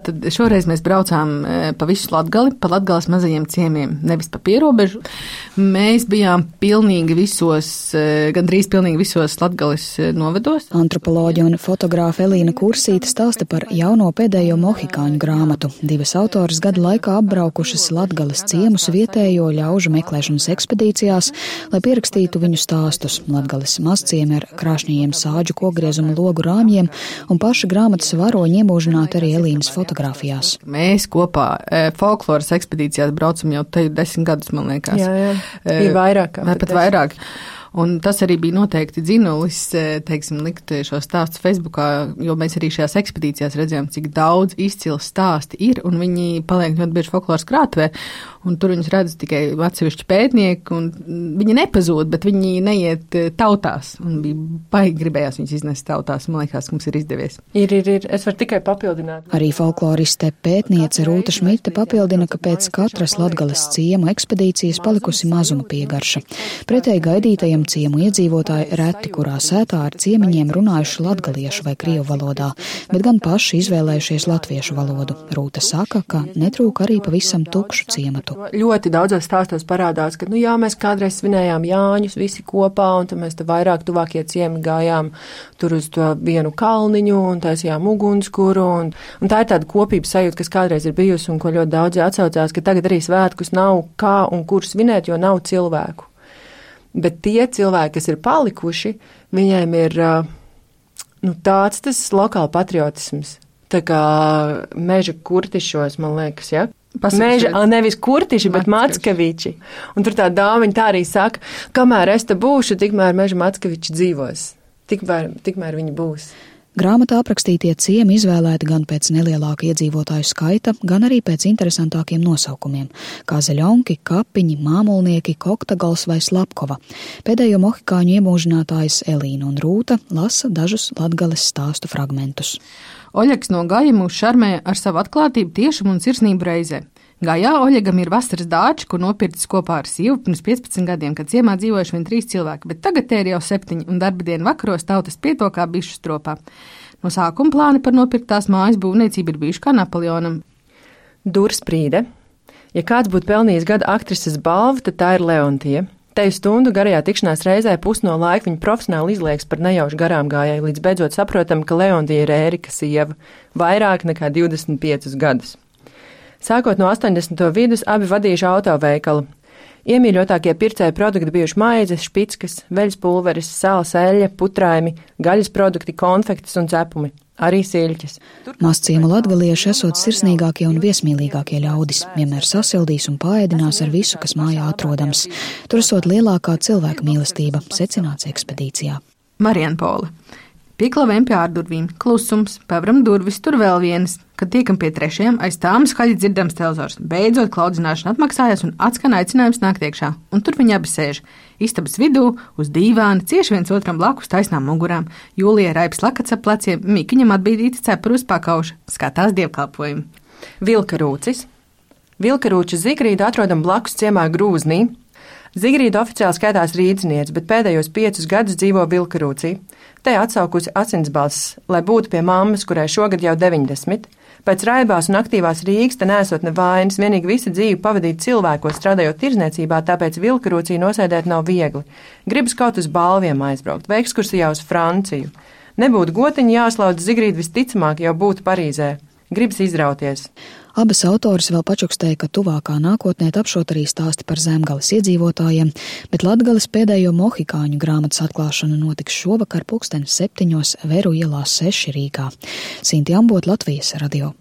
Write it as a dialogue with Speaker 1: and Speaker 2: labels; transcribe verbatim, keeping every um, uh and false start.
Speaker 1: tad šoreiz mēs braucām pa visu Latgali, pa Latgales mazajiem ciemiem, nevis pa pierobežu. Mēs bijām pilnīgi visos, gandrīz pilnīgi visos Latgales novados.
Speaker 2: Antropoloģe un fotogrāfa Elīna Kursīte stāsta par jauno pēdējo mohikāņu grāmatu. Divas autoras gada laikā apbraukušas Latgales ciemus vietējo ļaužu meklēšanas ekspedīcijās, lai pierakstītu viņu stāstus. Latgales mazciemi ar krāšņajiem sāģu kogriezuma logu rāmjiem un paša grāmatas varoņi iemūžināti arī Elīnas fotografijās.
Speaker 1: Mēs kopā e, folkloras ekspedīcijās braucam jau te desmit gadus, man liekas.
Speaker 3: Jā, jā. E, Ir vairāk.
Speaker 1: Vai pat vairāk. Un tas arī bija noteikti dzinulis, teiksim, likt šo stāstu Facebookā, jo mēs arī šajās ekspedīcijās redzējām, cik daudz izcils stāsti ir, un viņi paliek ļoti bieži folkloras krātuvē, un tur viņus redz tikai atsevišķi pētnieki, un viņi nepazūd, bet viņi neiet tautās, un bija baigi gribējās viņus iznest tautās, man liekas, mums ir izdevies.
Speaker 3: Ir, ir, ir, es varu tikai papildināt.
Speaker 2: Arī folkloriste pētniece Rūta Šmite papildina, ka pēc katras Latgales ciemu ekspedīcijas palikusi mazuma piegarša. Pretēji gaidītajam ciemu iedzīvotāji reti, kurā sētā ar ciemiņiem runājuši latgaliešu vai krievu valodā, bet gan paši izvēlējušies latviešu valodu. Rūta saka, ka netrūk arī pavisam tukšu ciematu.
Speaker 3: Ļoti daudzos stāstos parādās, ka, nu jā, mēs kādreiz svinējām Jāņus visi kopā, un tad mēs te vairāk tuvākie ciemi gājām tur uz to vienu kalniņu un taisījām ugunskuru, un, un tā ir tāda kopības sajūta, kas kādreiz ir bijusi un ko ļoti daudzi atsaucās, ka tagad arī svētkus nav kā un kur svinēt, jo nav cilvēku. Bet tie cilvēki, kas ir palikuši, viņiem ir nu, tāds tas lokāla patriotisms. Tā kā meža kurtišos, man liekas, ja? Meža, nevis kurtiši, bet mackaviči. Un tur tā dāmiņa tā arī saka, kamēr es te būšu, tikmēr meža mackaviči dzīvos. Tikmēr, tikmēr viņi būs.
Speaker 2: Grāmatā aprakstītie ciemi izvēlēti gan pēc nelielāka iedzīvotāju skaita, gan arī pēc interesantākiem nosaukumiem – kā Zaļonki, Kapiņi, Māmulnieki, Koktagals vai Slapkova. Pēdējo mohikāņu iemūžinātājs Elīna un Rūta lasa dažus Latgales stāstu fragmentus.
Speaker 1: Oļegs no Gaja mūs šarmē ar savu atklātību, tiešumu un sirsnību reizē. Gājā Oļegam ir vasaras dāči, ko nopircis kopā ar sievu pirms piecpadsmit gadiem, kad ciemā dzīvojuši vien trīs cilvēki, bet tagad te ir jau septiņi, un darba dienu vakaros tautas pieto kā bišu stropā. No sākuma plāni par nopirktās mājas būvniecību ir bijuši kā Napoleonam.
Speaker 3: Dursprīde. Ja kāds būtu pelnījis gada aktrises balvu, tad tā ir Leontija. Teju stundu garajā tikšanās reizē pus no laika viņa profesionāli izlieks par nejaušu garām gājēju, līdz beidzot saprotam, ka Leontija ir Ērika sieva, vairāk nekā divdesmit piecus gadus. Sākot no astoņdesmito vidus abi vadījuši autoveikalu. Iemīļotākie pircēju produkti bijuši maizes, špickas, veļas pulveris, sāls, eļļa, putraimi, gaļas produkti, konfektes un cepumi, arī siļķes.
Speaker 2: Mazciemu latgalieši esot sirsnīgākie un viesmīlīgākie ļaudis, vienmēr sasildīs un paēdinās ar visu, kas mājā atrodams. Tur esot lielākā cilvēka mīlestība, secināts ekspedīcijā.
Speaker 1: Marienpola. Pieklavēm pie ārdurvīm, klusums, pavram durvis, tur vēl vienas. Kad tiekam pie trešajiem, aiz tām skaļi dzirdams telzors. Beidzot klaudzināšana atmaksājās un atskan aicinājums nākt iekšā. Un tur viņi abi sēž. Istabas vidū, uz dīvāna, cieši viens otram blakus taisnām mugurām. Jūlija raips lakats ap pleciem, Mikiņam atbīdīta cepura uz pakauša. Skatās dievkalpojumu.
Speaker 3: Vilkarūcis. Vilkarūča Zigrīdu atrodam blakus ciemā Grūznī. Zigrīda oficiāli skaitās rīdzniece, bet pēdējos piecus gadus dzīvo Vilkarūcī. Te atsaukusi asinsbalss, lai būtu pie mammas, kurai šogad jau deviņdesmit. Pēc raibās un aktīvās Rīgas te nesot nevainas, vienīgi visi dzīvi pavadīt cilvēkos, strādājot tirzniecībā, tāpēc Vilkarūcī nosēdēt nav viegli. Gribas kaut uz balviem aizbraukt, vai ekskursijā uz Franciju. Nebūtu gotiņi jāslaudz, Zigrīda visticamāk jau būtu Parīzē. Gribas izrauties.
Speaker 2: Abas autoras vēl pačukstēja, ka tuvākā nākotnē tapšot arī stāsti par Zemgales iedzīvotājiem, bet Latgales pēdējo mohikāņu grāmatas atklāšana notiks šovakar pulksteni septiņos Veru ielā seši Rīgā. Sinti Ambot, Latvijas radio.